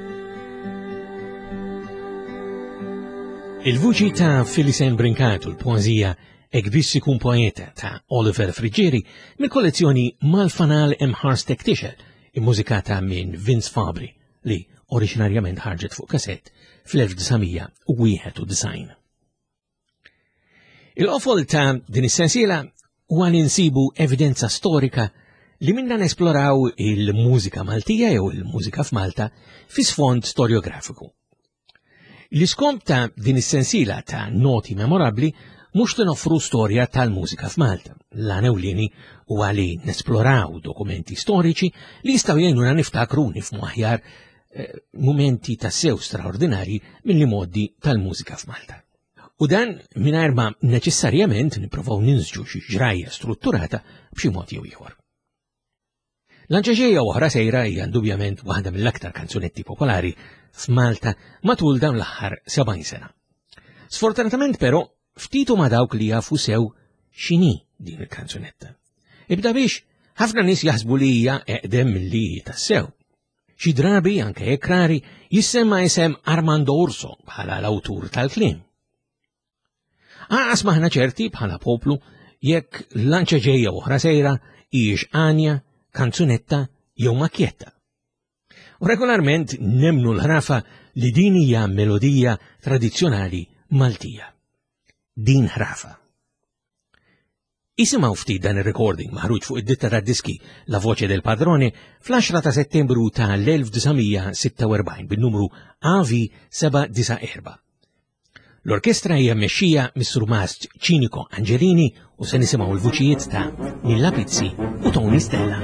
Il-vuċi ta' Phyllis-Ann Brincat u l-poeżija Hekk biss ikun poeta ta' Oliver Friggieri mill-kollezzjoni Mal-Fanal Hemm Ħarstek Tixgħel, immużikata minn Vince Fabri li oriġinarjament ħarġet fuq kasett fl-elf disa' mija u wieħed u disgħin. Il-qofol ta' din is-sensiela huwa li nsibu evidenza storika li minna nesploraw il-mużika Maltija jew il-mużika f'Malta fi sfond storiografiku. L-iskomp ta' din is-sensiela ta' noti memorabbli mhux li noffru storja tal-mużika f'Malta. L-għan ewlieni huwa li nesploraw dokumenti storiċi li jistgħu jgħinuna niftakru u nifhmu aħjar, eh, mumenti ta' sew straordinarji mill-modi tal-mużika f'Malta. U dan mingħajr ma neċessarjament nipprovaw ninsġu xi ġrajja strutturata b'xi mod jew ieħor. L-Anċeġeja oħra sejra hija indubjament waħda mill-aktar kanzunetti popolari f'Malta matul dawn l-aħħar sebgħin sena. Sfortunatament però ftit huma dawk li jafu sew x'inhi din il-kanzunetta. Ibda biex ħafna nies jaħsbu li hija eqdem milli hi tassew. Xi drabi anke jekk rari jissemma isem Armando Urso bħala l-awtur tal-kliem. Anqas maħna ċerti bħala poplu jekk l-Anċeġeja oħra sejra hijiex għanja, kanzunetta jew makjetta. U regolarment nemnu l-ħrafa li din hija melodija tradizzjonali Maltija. Din ħrafa. Isimgħu ftit dan ir-recording maħruġ fuq id-ditta tad-diski La Voce del Padrone fl-għaxra ta' Settembru ta' l-elf disa' mija sitta u erbgħin bin-numru A V seba' disa' erba'. L-orkestra hija mmexxija mis-surmast Ċinico Angelini u se nisimgħu l-vuċijiet ta' Nilla Pizzi u Tony Stella.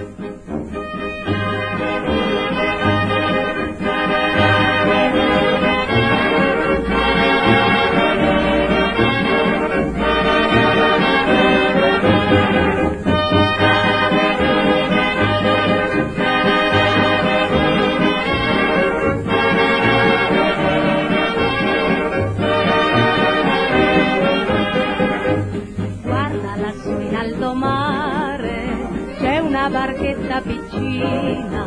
Barchetta piccina,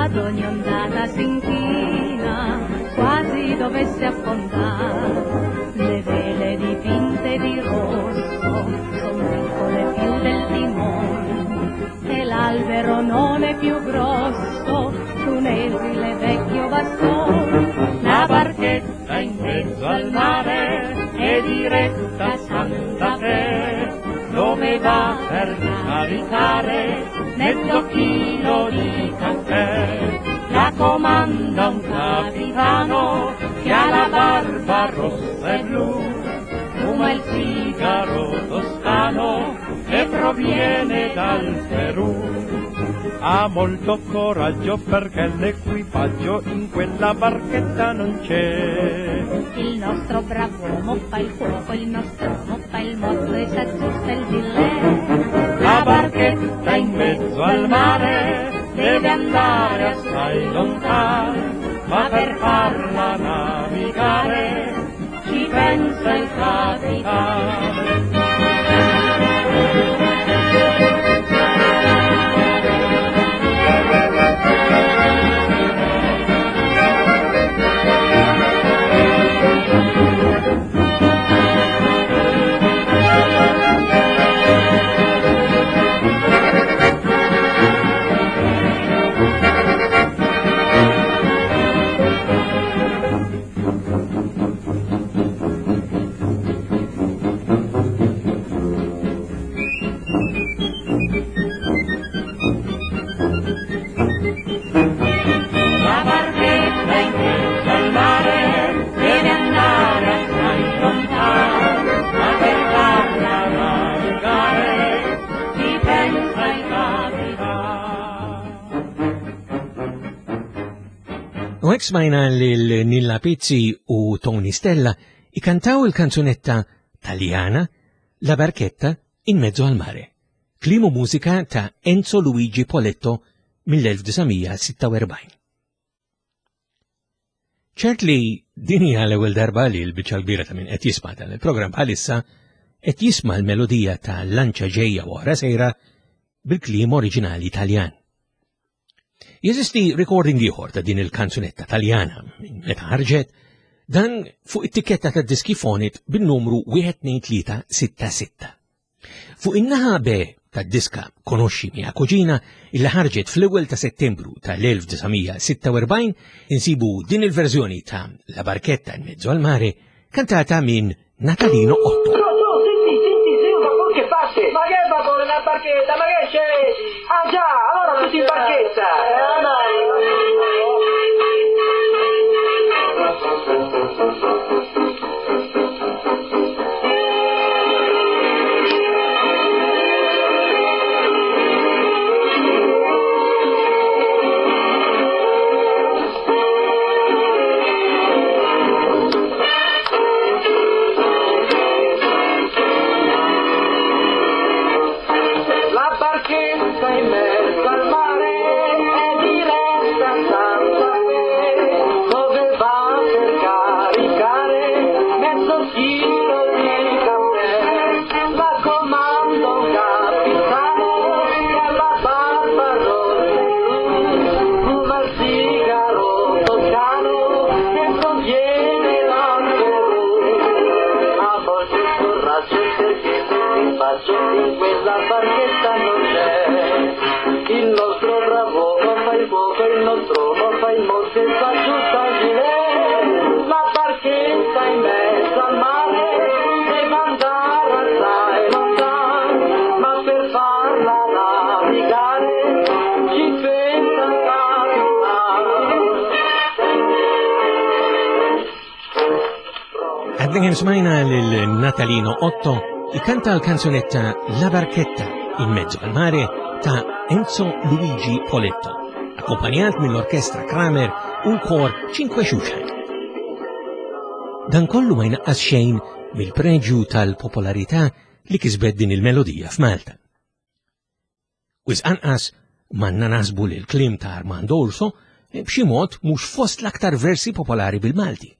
ad ogni ondata si inchina, quasi dovesse affondare. Le vele dipinte di rosso son piccole più del timone, e l'albero non è più grosso d'un esile vecchio bastone. La barchetta in mezzo al mare è diretta a Santa Fe, dove va per caricare mezzo chilo di caffè. La comanda un capitano che ha la barba rossa e blu, fuma il sigaro toscano che proviene dal Perù. Ha molto coraggio perché l'equipaggio in quella barchetta non c'è. Il nostro bravo uomo fa il cuoco, il nostro uomo fa il mozzo e s'aggiusta il gilet. La barchetta in mezzo al mare deve andare assai lontano, ma per farla navigare ci pensa il capitano. U hekk smajna lil Nilla Pizzi u Tony Stella ikantaw il-kanzunetta Taljana La Barchetta in mezzo al mare. Kliem u mużika ta' Enzo Luigi Poletto mill-elf disa' mija sitta u erbgħin. Ċert li din hija l-ewwel darba li l-biċċa l-kbira ta' min qed jisma' dan il-programm bħalissa qed jisma' l-melodija ta' Lanċa ġejja u oħra sejra bil-kliem oriġinali Taljan. Jeżisti recording ieħor ta' din il-kanzunetta Taljana minn meta ħarġet, dan fuq it-tikketta ta' diski Fonit bin-numru wieħed tnejn tlieta sitta sitta. Fuq in-naħa B tad-diska Conosci mia cugina illi ħarġet fl-ewwel ta' Settembru tal-elf disa' mija sitta u erbgħin insibu din il-verżjoni ta' La Barchetta in mezzo al mare kantata minn Natalino Otto. Senti, senti, sì, un vapore che parte! Ma che vapore, una barchetta, ma che c'è? Ah già, allora tutti in barchetta! Eh, dai! La barchetta in mezzo al mare è diretta a Santa Fe, dove va per caricare mezzo chilo di caffè. La comanda un capitano che ha la barba rossa e blu, fuma il sigaro toscano che proviene dal Perù. A volte scorraggio perché l'equipaggio in quella barchetta non c'è. Il nostro bravo uomo fa il cuoco, il nostro uomo fa il mozzo e va giù dal gilet. La barchetta in mezzo al mare deve andare assai lontano, ma per farla navigare ci pensa il capitano. Għadna kemm smajna lil Natalino Otto ikanta l-kanzunetta La Barchetta in mezzo al mare ta' Enzo Luigi Poletto, akkompanjat mill-orkestra Kramer u l-kor Cinque Xuxan. Dan kollu ma jnaqqas xejn mill-preġju tal-popolarità li kisbet din il-melodija f'Malta. Wisq anqas manna nasbu li l-kliem ta' Armando Urso b'xi mod mhux fost l-aktar versi popolari bil-Malti.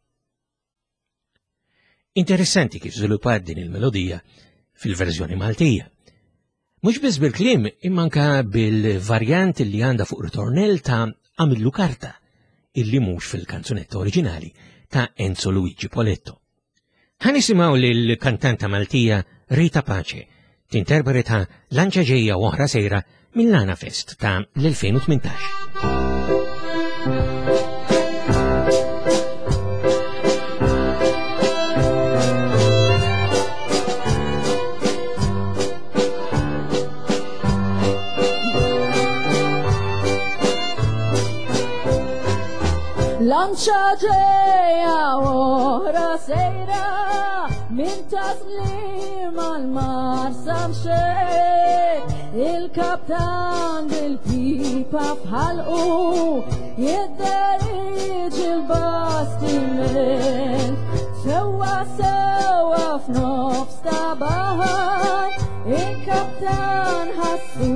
Interessanti kif żviluppat din il-melodija fil-verżjoni Maltija. Mhux biss bil-kliem imma anke bil-varjant li għandha fuq ritornell ta' Għamillu Karta, illi mhux fil-kanzunetta oriġinali ta' Enzo Luigi Poletto. Ħa nisimgħu lill-kantanta Maltija Rita Pace tinterpreta Lanċa ġejja u oħra sejra mill-Lana Fest ta' l-elfejn u tmintax. Lanċa ġejja oħra sejra minn Taslim għal Marsa mxejt, il-kaptan bil-pipa f'ħalqu jidderieġi l-bastiment. Sewwa sewwa f'nofs ta' baħar il-kaptan ħassu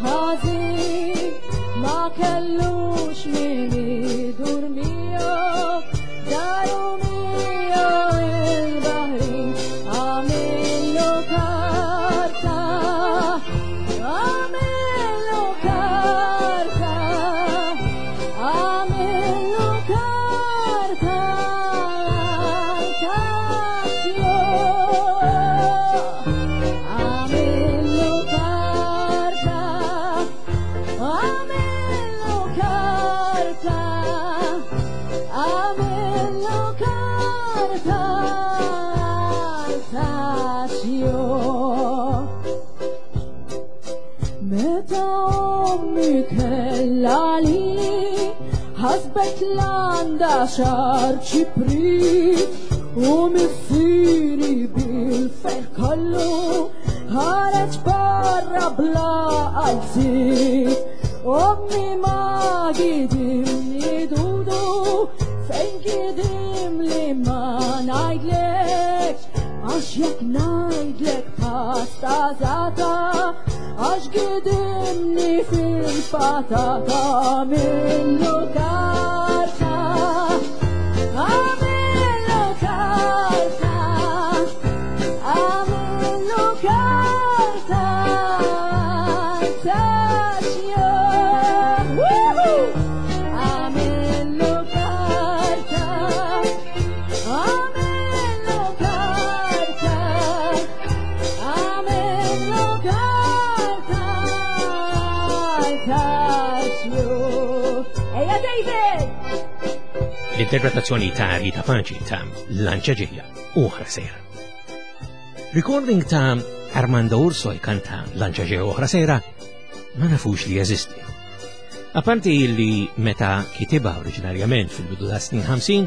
ħażin, ma kellux min idur miegħu, daru miegħu il-baħrin. Għamillu karta, għamillu karta, għamillu karta għal-tassju. Għamillu karta, għamillu karta, għamillu karta għal-tassju. Meta ommi kellha li ħasbet l-għandha xar ċiprit u missieri bil-ferħ kollu ħareġ barra bla qalziet. Ommi ma gidimni dudu Gidim li ma ngħidlekx, għax jekk ngħidlek pasta zata, għax gidimni fil-patata għamillu karta, għamillu karta, għamillu karta, taxja. Woohoo! Għamillu karta, għamillu karta, għamillu karta, taxju. Ejja David! L-interpretazzjoni ta' Rita Paci ta' Lanċa ġejja u oħra sejra. Recording ta' Armando Urso jkanta Lanċa ġejja u oħra sejra ma nafux li jeżisti. Apparti li meta kitibha oriġinarjament fil-bidu ta' snin ħamsin,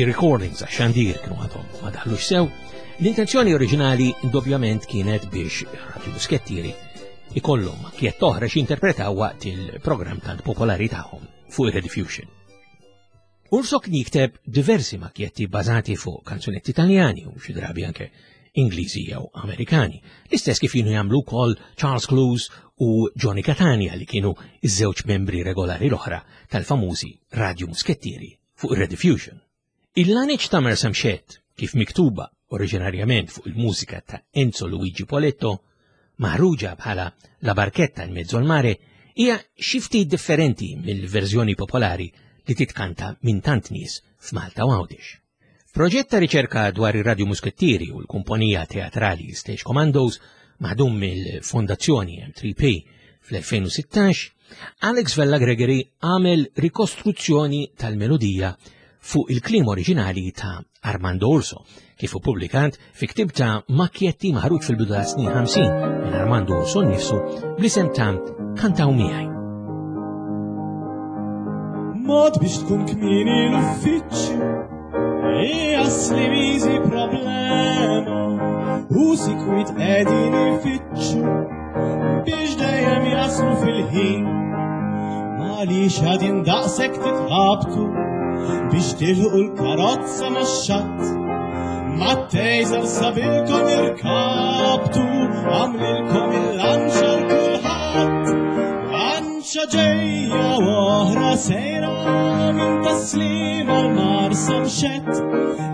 i-recordings għax xandir kienu għadhom ma daħlux sew, l-intenzjoni oriġinali indubjament kienet biex Radio Muskettieri ikollhom makkjett oħra x'interpretaw waqt il-programm tant popolari tagħhom fuq ir-Rediffusion. Urso kien jikteb diversi makkjetti bażati fuq kanzunetti Italjani u xi drabi anke Ingliżi jew Amerikani, l-istess kif kienu jagħmlu wkoll Charles Clowes u Johnny Catania li kienu iż-żewġ membri regolari l-oħra tal-famużi Radio Muskettieri fuq ir-Rediffusion. Il-laneċ ta' Marsamxett, kif miktuba oriġinarjament fuq il-mużika ta' Enzo Luigi Poletto, maħruġa bħala La Barchetta in mezzo al mare, hija xi ftit differenti mill-verżjoni popolari li titkanta minn tant nies f'Malta u Għawdex. Proġett ta' riċerka dwar ir-Radio Muskettieri u l-kumpanija teatrali Stage Commandos maħdum mill-Fondazzjoni M tre P fl-elfejn u sittax, Alex Vella Gregory għamel rikostruzzjoni tal-melodija fuq il-kliem oriġinali ta' Armando Urso, kif ippubblikat fi ktieb ta' makkjetti maħruġ fil-bidu ta' snin ħamsin minn Armando Urso nnifsu bl-isem ta' Kantaw Miegħi. Mod biex tkun kmieni l-uffiċċju, hija slimiżi problema, u sikwit qegħdin ifittxu biex dejjem jaslu fil-ħin. Għaliex għadin daqshekk titħabtu biex tilħu l-karozza max-xatt, mat-tejżer sabilkom irkabtu, għamlilkom il-lanċa l-kulħadd. Lanċa ġejja u oħra sejra minn Taslim għal Marsamxett,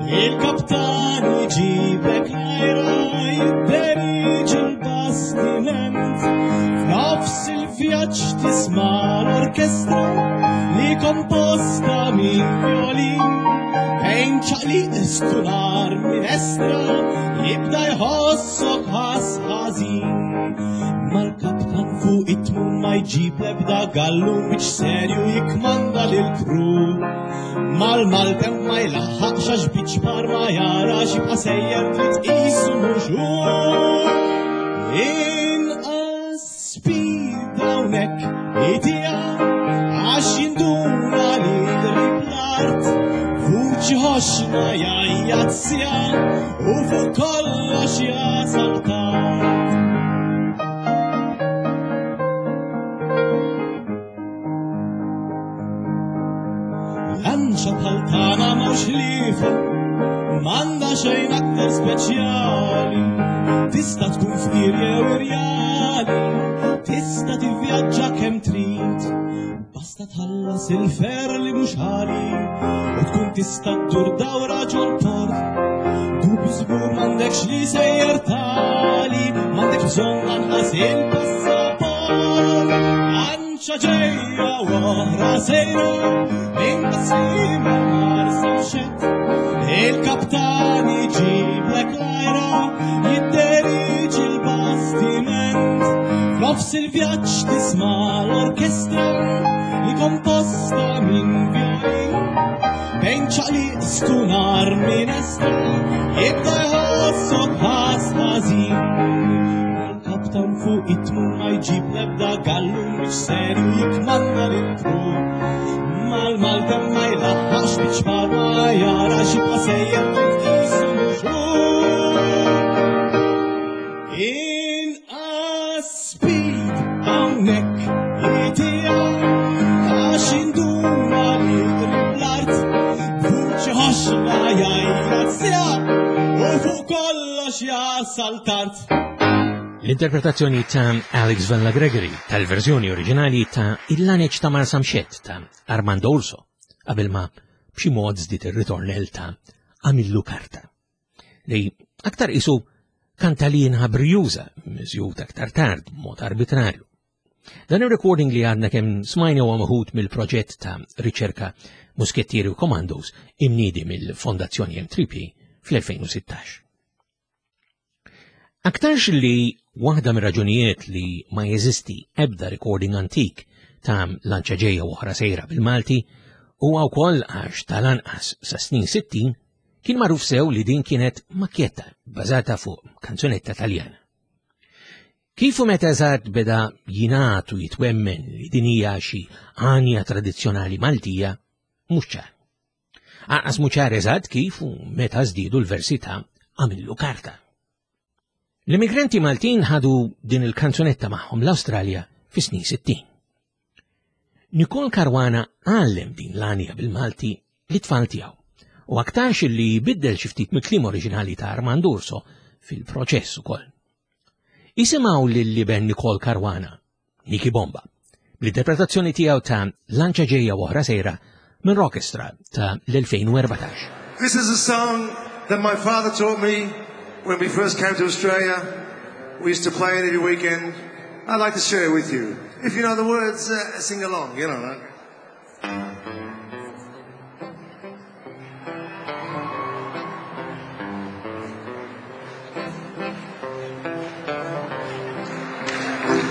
il-kaptan iġibek lajra jidderiġi l-bastiment. F'nofs il-vjaġġ tisma' l-orkestra li komposta minn violin, bejn ċaqliq stunar minestra jibda jħossok ħass ħażin. Mal-kaptan fuq it-tmun ma jġib l-ebda gallu biex serju jikmanda lil-kru. Mal-maltem ma jlaħħaqx għax biċ bar ma jarax jibqa' sejjer trid tqisu mhux hu. Inqas speed hawnhekk itija għax jinduna li qrib l-art, vuċi ħoxna jgħajjat sija u fuq kollox jasal tard. Lanċa bħal tagħna mhux ħliefa, m'għandha xejn aktar speċjali, tista' tkun fqir jew irjali, tista' tivvjaġġa kemm trid, basta tħallas il-fer li mhux ħali u tkun tista' ddur dawra ġol-port. Dubju żgur m'għandekx li sejjer tali, m'għandekx bżonn lanqas il-passaport. Lanċa ġejja u oħra sejra minn Taslim għal Marsamxett, il-kaptan iġiblek lajra jidderiġi l-bastiment. F'nofs il-vjaġġ tisma' l-orkestra li komposta minn violin, bejn ċaqliq stunar minestra jibda jħossok ħass ħażin. Il-kaptan fuq it-tmun ma jġib l-ebda gallu biex serju jikmanda lil-kru. Mal-maltem ma jlaħħaqx biex bar ma jarax jibqa' sejjer trid tqisu mhux hu. Inqas speed hawnhekk itija għax induna li qrib l-art, vuċi jasal tard. L-interpretazzjoni ta' Alex Vella Gregory tal-verżjoni oriġinali ta' Il-Laneċ ta' Marsamxett ta' Armando Urso, qabel ma b'xi mod żdied ir-ritornell ta' Għamillu Karta, li aktar isu kantalina brjuża miżjud aktar tard b'mod arbitrarju. Dan ir-recording li għadna kemm smajna huwa meħud mill-proġett ta' riċerka Muskettieri u Commandos imniedi mill-Fondazzjoni M three P fl-elfejn u sittax. Aktarx li waħda mir-raġunijiet li ma jeżisti ebda recording antik ta' lanċa ġejja u oħra sejra bil-Malti huwa wkoll għax tal-anqas sa snin sittin kien magħruf sew li din kienet makjetta bbażata fuq kanzunetta Taljana. Kif u meta eżatt beda jingħad u jitwemmen li din hija xi għanja tradizzjonali Maltija, mhux ċar. Anqas mhux ċar eżatt kif u meta żdiedu l-versi ta' Għamillu Karta. L-immigranti Maltin ħadu din il-kanzunetta magħhom l-Awstralja fis-snin sittin. Nicole Caruana għallem din l-għanja bil-Malti lit-tfal tiegħu u aktarx li biddel xi ftit mill-kliem oriġinali ta' Armando Urso fil-proċess ukoll. Isimgħu lil liben Nicole Caruana, Nicky Bomba, bl-interpretazzjoni tiegħu ta' Lanċa ġejja u oħra sejra minn Rockestra ta' l-elfejn u erbatax. This is a song that my father taught me when we first came to Australia. We used to play it every weekend. I'd like to share it with you. If you know the words, uh, sing along, you know. Right?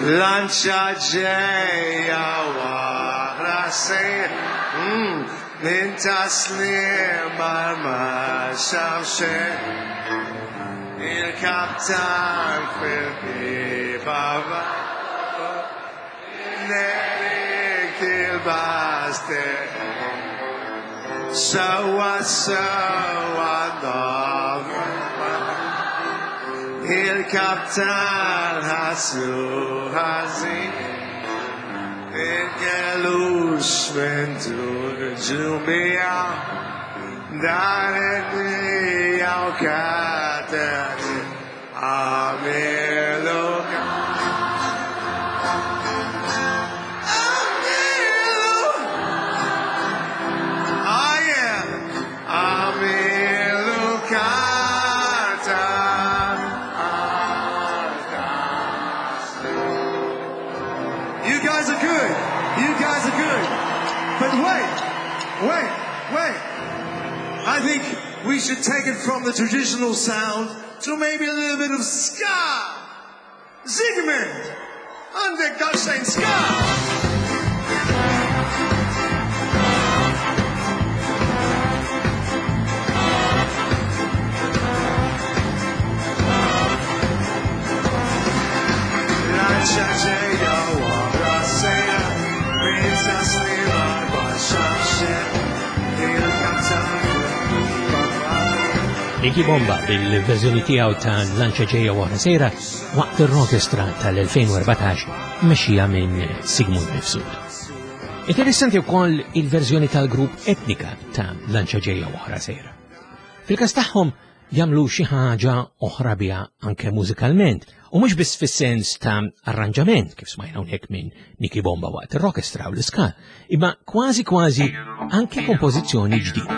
Lancia ġejja wara sejra, mm, minn taslim ma xamxejn. Il-kaptan fil-biba nerik il-baste. Sawa sawa nova. Il-kaptan ħaslu ħażin. Il-gelux minn dur ġumija. Dan id-dinja u kateri. Għamilu Għamilu. Oh yeah. Għamilu karta. You guys are good. You guys are good. But wait, wait, wait. I think we should take it from the traditional sound to maybe a little bit of ska. Zygmunt, under Goshane ska. Lancia ġejja wara sejra, minn taslim ma xamxejn. Il-kaptan Nicky Bomba bil-verżjoni tiegħu ta' Lanċa ġejja wara sejra waqt ir-Rockestra tal-elfejn u erbatax mexxija minn Sigmund Mifsud. Interessanti wkoll il-verżjoni tal-grupp Etnika ta' Lanċa ġejja wara sejra. Fil-każ tagħhom jagħmlu xi ħaġa oħra biha anke mużikalment u mhux biss fis-sens ta' arranġament kif smajna hawnhekk minn Nicky Bomba waqt ir-Rockestra u l-Ska, imma kważi kważi anke kompożizzjoni ġdida.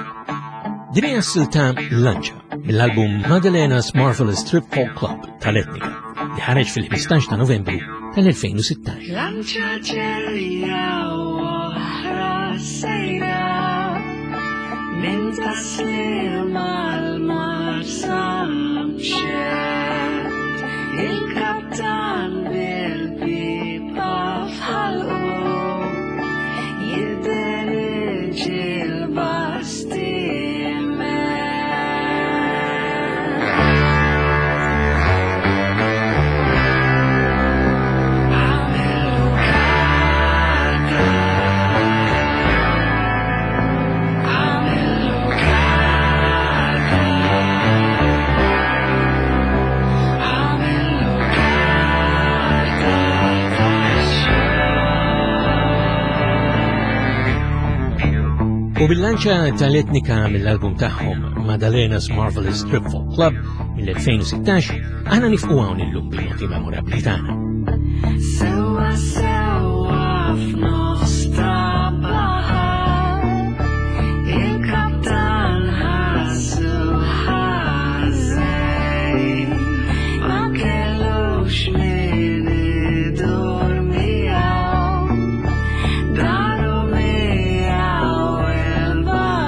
Din hija s-silta Lanċa mill-album Madelena's Marvelous Trip Folk Club tal-Etnika li ħareġ fil-ħmistax ta' Novembru tal-elfejn u sittax. Lanċa ġejja oħra sejra minn taslim għal Marsamxett. Il-kaptan bil-pipa f'ħalqu jidderġi l-bastiment. Għamillu karta, għamillu karta, għamillu karta tax-xogħol. U bil-lanċa tal-Etnika mill-album tagħhom Madelena's Marvelous Trip Folk Club mill-elfejn u sittax, aħna nifqu hawn illum bil-noti memorabbli tagħna. Sewa sewa f'nofs ta' baħar, il-kaptan ħassu ħażin, ma kellux min idur miegħu, daru miegħu il-baħar.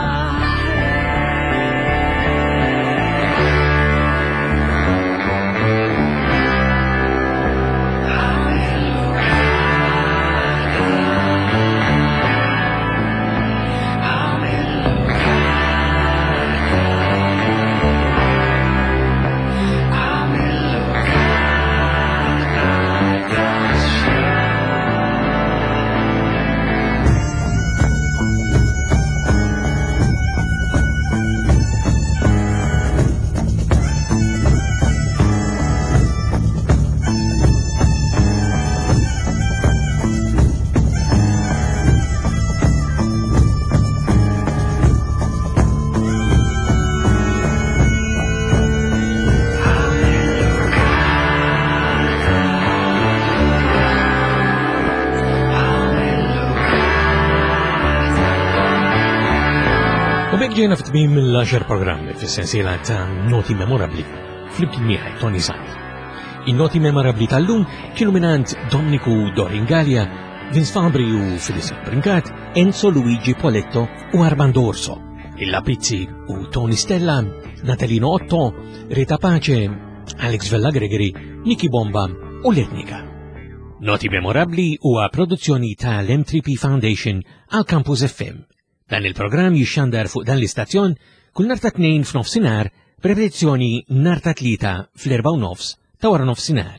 U b'hekk ġejna f'tmiem mill-għaxar programmi fis-sensiela ta' Noti Memorabbli flimkien miegħi Toni Sant. In-noti memorabbli tal-lum kienu mingħand Domniku Doringalia, Vince Fabri u Phyllis Brincat, Enzo Luigi Poletto u Armando Orso, Illa Pizzi u Tony Stella, Natalino Otto, Rita Pace, Alex Vella Gregory, Nicky Bomba u L-Etnika. Noti Memorabbli huwa produzzjoni tal-M tre P Foundation għal Campus F M. Dan il-programm jixxandar fuq dan l-istazzjon kull nhar ta' tnejn f'nofsinhar b'repetizzjoni nhar ta' tlieta fl-erba' u nofs ta' wara nofsinhar.